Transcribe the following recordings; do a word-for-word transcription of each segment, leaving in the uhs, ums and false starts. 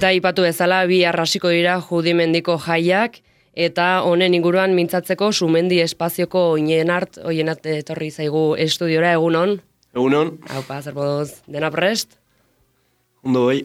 Eta ipatu bezala bi arrasiko dira Judimendiko jaiak, eta honen inguruan mintzatzeko Sumendi espazioko Oienart, Oienart etorri zaigu estudiora, egunon. Egunon. Haupa, zer moduz, dena prest? Ondo bai.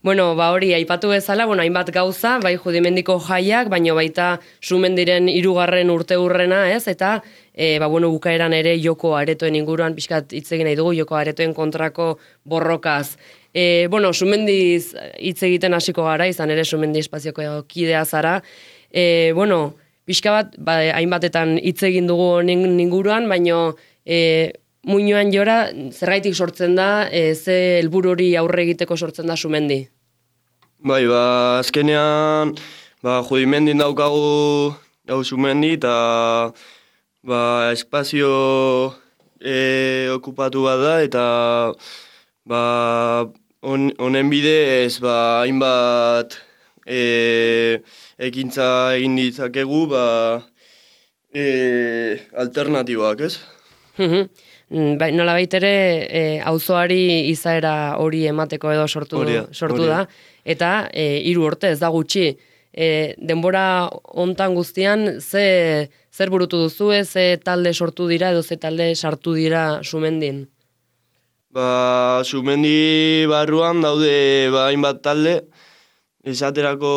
Bueno, ba hori, aipatu bezala, bueno, hainbat gauza, bai Judimendiko jaiak, baino baita Sumendiren hirugarren urteurrena, ez? Eta, e, ba bueno, bukaeran ere joko aretoen inguruan, pixkat hitz egin nahi dugu, joko aretoen kontrako borrokaz. E, bueno, Sumendiz hitz egiten hasiko gara, izan ere Sumendi espazioko kidea zara. E, bueno, pixka bat, ba, hainbatetan hitz egin dugu honen inguruan, baino e, muinoan jora, zergaitik sortzen da, e, ze helburu hori aurre egiteko sortzen da Sumendi? Bai, ba, azkenean, ba, Judimendin daukagu gau Sumendi, eta ba, espazio e, okupatu bat da, eta ba, on, honen bidez, ba, hainbat e, ekintza egin ditzakegu, ba, e, alternatibak, ez? Bai, nola baitere, e, auzoari izaera hori emateko edo sortu, Oria, sortu oria. da. Eta e, hiru urte ez da gutxi. E, denbora hontan guztian, ze, zer burutu duzu, ze talde sortu dira edo ze talde sartu dira Sumendin? Ba, Sumendi barruan daude ba, hainbat talde, esaterako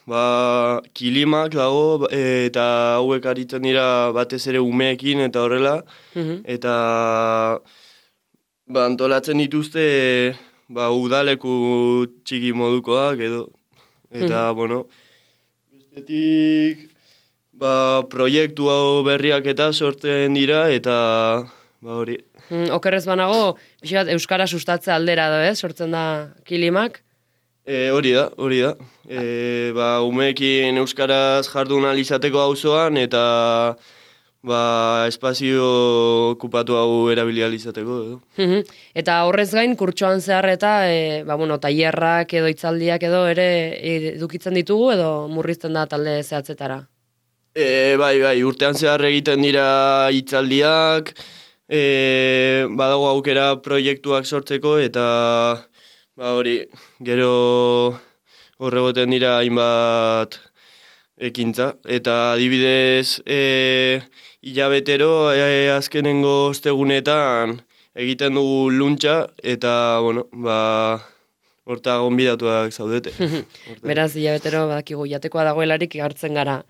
ba, kilimak dago, e, eta hauek aritzen dira batez ere umeekin eta horrela, eta ba, antolatzen dituzte ba, udaleku txiki modukoak edo, eta, bueno, bestetik ba, proiektu hau berriak eta sortzen dira, eta ba, hori. Mm, okerrez banago, pixkat euskara sustatze aldera da, ez? Sortzen da kilimak? E, hori da, hori da. E, ba, umeekin euskaraz jardun alizateko auzoan eta ba, espazio okupatu hau erabili alizateko edo. Eta horrez gain, kurtsoan zehar eta e, ba, bueno, tailerrak edo hitzaldiak edo ere edukitzen ditugu edo murrizten da talde zehatzetara? E, bai, bai, urtean zehar egiten dira hitzaldiak, e, badago aukera proiektuak sortzeko eta ba hori, gero horregoten dira hainbat ekintza. Eta adibidez, e, hilabetero e, azkenengo ostegunetan egiten dugu luntxa eta, bueno, ba, horta gonbidatuak zaudete. Beraz, hilabetero badakigu jatekoa dagoelarik hartzen gara.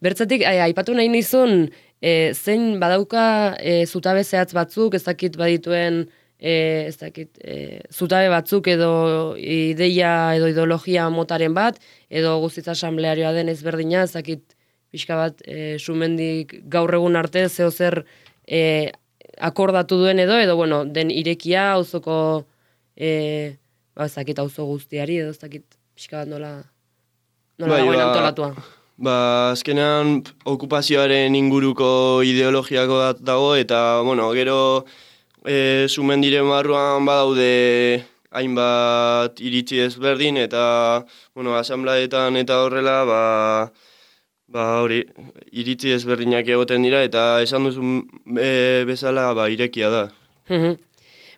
Bertzetik, aipatu nahi nizun, e, zein badauka e, zutabe zehatz batzuk, ez dakit badituen E, ez dakit, e, zutabe batzuk edo ideia edo ideologia motaren bat, edo guztiz asamblearioa den ezberdina, ez dakit pixka bat e, Sumendik gaur egun arte zeo zer e, akordatu duen edo, edo bueno, den irekia auzoko e, ba, ez dakit auzo guztiari, edo ez dakit pixka bat nola, nola bai, dagoen ba, antolatua. Ba, azkenean okupazioaren inguruko ideologiako bat dago, eta, bueno, gero E, Sumendiren barruan badaude hainbat iritzi ezberdin eta, bueno, asamblaetan eta horrela, ba, ba hori, iritzi ezberdinak egoten dira eta esan duzun e, bezala ba, irekia da.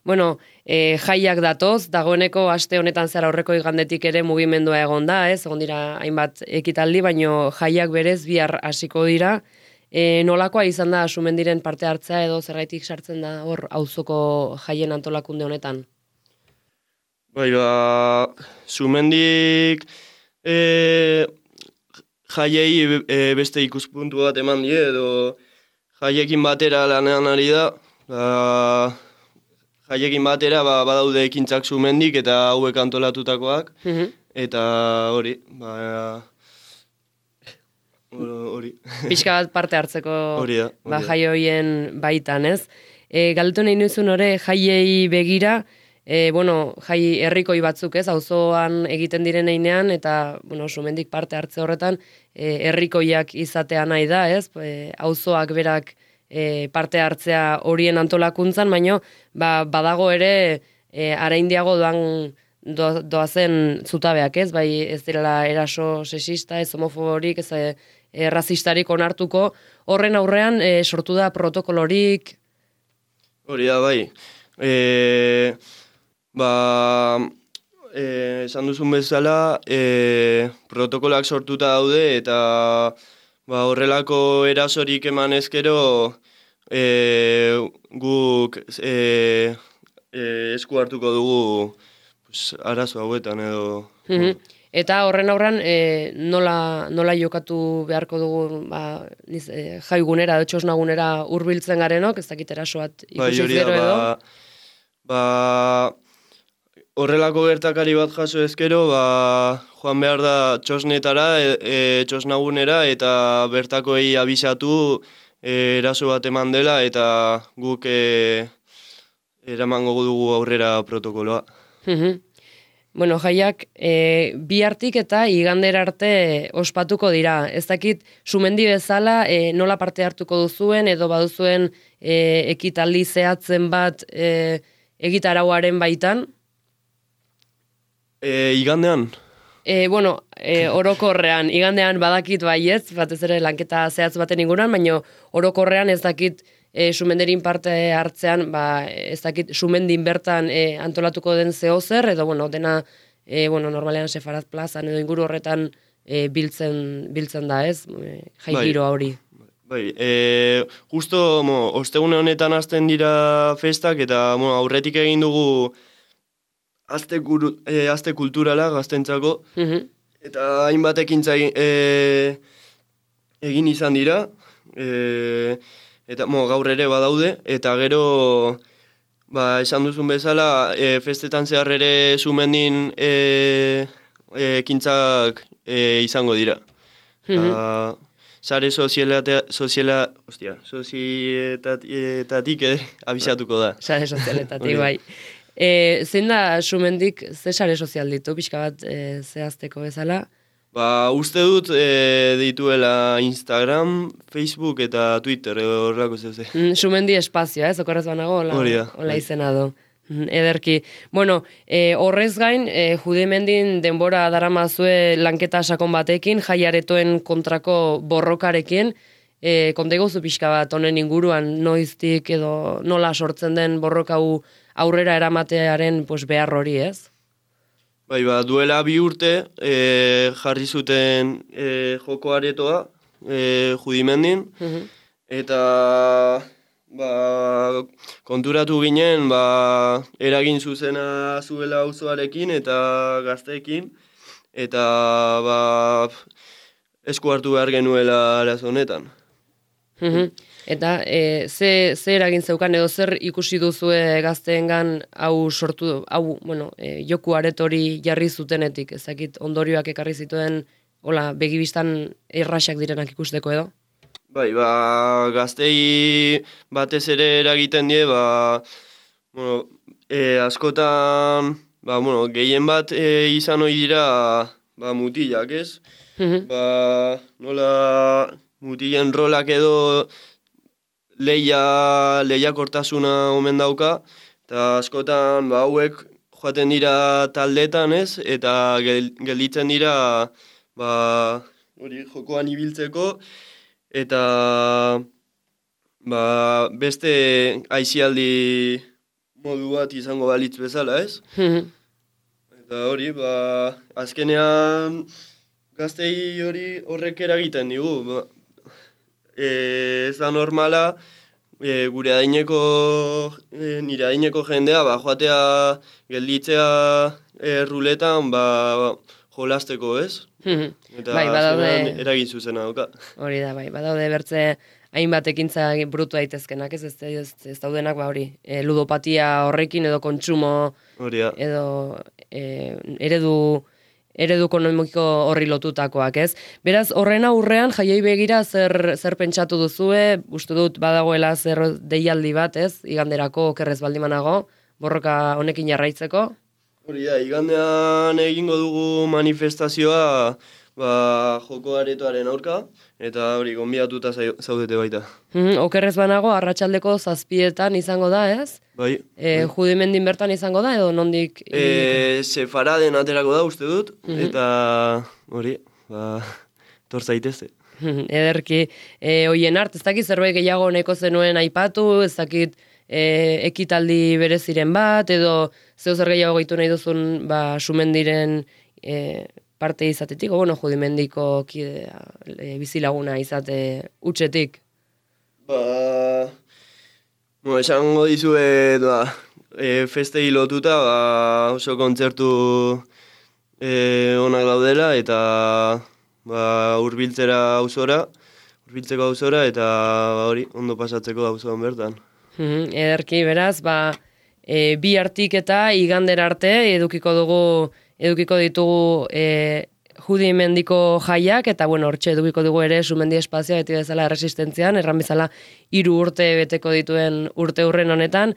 Bueno, e, jaiak datoz, dagoeneko aste honetan zara aurreko igandetik ere mugimendua egon da, ez? Egon dira hainbat ekitaldi, baino jaiak berez bihar hasiko dira. E, nolakoa izan da Sumendiren parte hartzea edo zergaitik sartzen da hor auzoko jaien antolakunde honetan? Bai, ba, Sumendik e, jaiei e, beste ikuspuntu bat eman die edo jaiekin batera lanean ari da. Ba, jaiekin batera ba, badaude ekintzak Sumendik eta hauek antolatutakoak. Eta hori, ba, hori. Pixka bat parte hartzeko hori da, hori ba, jai horien baitan, ez? E, galdetu nahi nuzun hori jaiei begira, e, bueno, jai herrikoi batzuk, ez? Auzoan egiten diren einean, eta, bueno, Sumendik parte hartze horretan, e, herrikoiak izatea nahi da, ez? E, auzoak berak e, parte hartzea horien antolakuntzan, baino, ba, badago ere e, araindiago doan do, doazen zutabeak, ez? Bai, ez direla eraso sexista, ez homofoborik, ez e, razistarik onartuko, horren aurrean e, sortu da protokolorik? Hori da, bai. E, ba, eh, esan duzun bezala, eh, protokoloak sortuta daude eta ba, horrelako erasorik eman ezkero eh, guk eh, eh, esku hartuko dugu pues, arazo hauetan edo... Mhm. Eta horren aurran e, nola, nola jokatu beharko dugu ba, niz, e, jaigunera, txosnagunera hurbiltzen garenok, ez dakit eraso bat ikusi hori da, gero edo. ba, ba, horrelako gertakari bat jaso ezkero, ba, joan behar da txosnetara, e, e, txosnagunera, eta bertakoei abisatu e, eraso bat eman dela, eta guk e, eramango dugu aurrera protokoloa. Mhm. Bueno, jaiak e, bihartik eta igandera arte ospatuko dira. Ez dakit, sumendi bezala e, nola parte hartuko duzuen edo baduzuen e, ekitaldi zehatzen bat e, egitarauaren baitan? E, igandean? E, bueno, e, orokorrean, igandean badakit baietz, batez ere lanketa zehatz baten inguruan, baina orokorrean ez dakit e, sumenderin parte hartzean, ba, ez dakit sumendin bertan e, antolatuko den zehozer, edo bueno, dena e, bueno, normalean Sefaraz plazan edo inguru horretan e, biltzen, biltzen da, ez? E, jai Bai. giro hori. Bai, e, justo mo, ostegune honetan hasten dira festak eta mo, aurretik egin dugu aste, guru, e, aste kulturala gaztentzako, Mhm. eta hainbat ekintza egin, e, egin izan dira, e, eta mo, gaur ere badaude, eta gero ba, esan duzun bezala e, festetan zehar ere sumendin e, e, ekintzak e, izango dira. Mhm. Sare sozialatea, soziala, ostia, sozietatik eh, abisatuko da. Sare sozialetatik, Hori da. bai. E, zein da sumendik ze sare sozial ditu, pixka bat e, zehazteko bezala? Ba, uste dut e, dituela Instagram, Facebook eta Twitter edo horrelako zeuze. Mm, Sumendi espazioa, ez, okorrez banago, hola, Hori da, hola bai. izena du. Mm, Ederki. Bueno, e, horrez gain, e, judimendin denbora daramazue lanketa sakon batekin, jaiaretoen kontrako borrokarekin, e, konta iguzu pixka bat honen inguruan, noiztik edo nola sortzen den borrokau aurrera eramatearen pues, behar hori, ez? Bai, ba, duela bi urte e, jarri zuten e, joko aretoa e, judimendin, Mhm. eta ba, konturatu ginen ba, eragin zuzena zuela auzoarekin eta gazteekin, eta ba, esku hartu behar genuela arazo honetan. Mhm. Eta e, ze, ze eragin zeukan edo zer ikusi duzue gazteengan hau sortu, hau, bueno, e, joku aretori jarri zutenetik, ezakit ondorioak ekarri zituen, hola, begibistan erraxak direnak ikusteko edo? Bai, ba, gaztei batez ere eragiten die, ba, bueno, e, askotan, ba, bueno, gehien bat e, izan ohi dira, ba, mutilak, ez? Mhm. Ba, nola mutilen rolak edo leia, lehiakortasuna omen dauka, eta askotan, ba, hauek joaten dira taldetan, ez? Eta gel, gelditzen dira, ba, hori jokoan ibiltzeko, eta ba, beste aisialdi modu bat izango balitz bezala, ez? Mhm. Eta hori, ba, azkenean gaztei hori horrek eragiten digu. Ba, e, ez da normala, e, gure adineko, e, nire adineko jendea, ba, joatea gelditzea e, ruletan, ba, jolasteko, ez? Mhm. Eta Bai, azkenean badaude, eragin zuzena dauka. hori da, bai, badaude bertze hainbat ekintza brutu daitezkenak, ez, ez, ez, ez daudenak, ba, hori, e, ludopatia horrekin edo kontsumo Hori da. edo e, eredu eredu ekonomiko horri lotutakoak, ez? Beraz, horren aurrean jaiei begira zer zer pentsatu duzue? Uste dut badagoela zer deialdi bat, ez? Iganderako okerrez baldimanago, borroka honekin jarraitzeko. Hori da, igandean egingo dugu manifestazioa ba, joko aretoaren aurka, eta hori gonbidatuta zai- zaudete baita. Mhm, okerrez banago, arratsaldeko zazpietan izango da, ez? Bai. E, Judimendin bertan izango da, edo nondik? E, Sefaraden aterako da uste dut, Mhm. eta hori, ba, tor zaitezte. Ederki, e, hoien art, ez dakit zerbait gehiago neko zenuen aipatu, ez dakit e, ekitaldi bereziren bat, edo zeu zer gehiago gehitu nahi duzun ba, sumendiren e, parte izatetik, o bueno, judimendiko kidea, e, bizilaguna izate utxetik. Ba, bueno, esango dizue, ba, e, festei lotuta, ba, oso kontzertu e, onak daudela, eta ba, hurbiltzera auzora, hurbiltzeko auzora, eta ba, hori, ondo pasatzeko auzoan bertan. Mm, ederki, beraz, ba, e, bi hartik eta igandera arte edukiko dugu, edukiko ditugu e, judimendiko jaiak, eta bueno, hortxe edukiko dugu ere sumendi espazioa beti bezala erresistentzian, erran bezala hiru urte beteko dituen urte hurren honetan,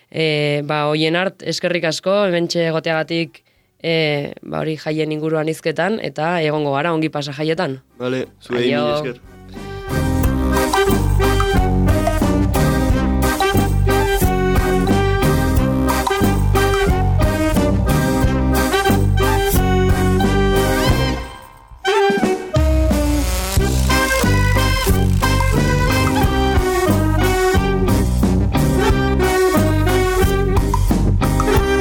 e, ba, hoien hart, eskerrik asko, hementxe egoteagatik e, ba, hori jaien inguruan hizketan, eta egongo gara ongi pasa jaietan. Vale, zuei mila esker.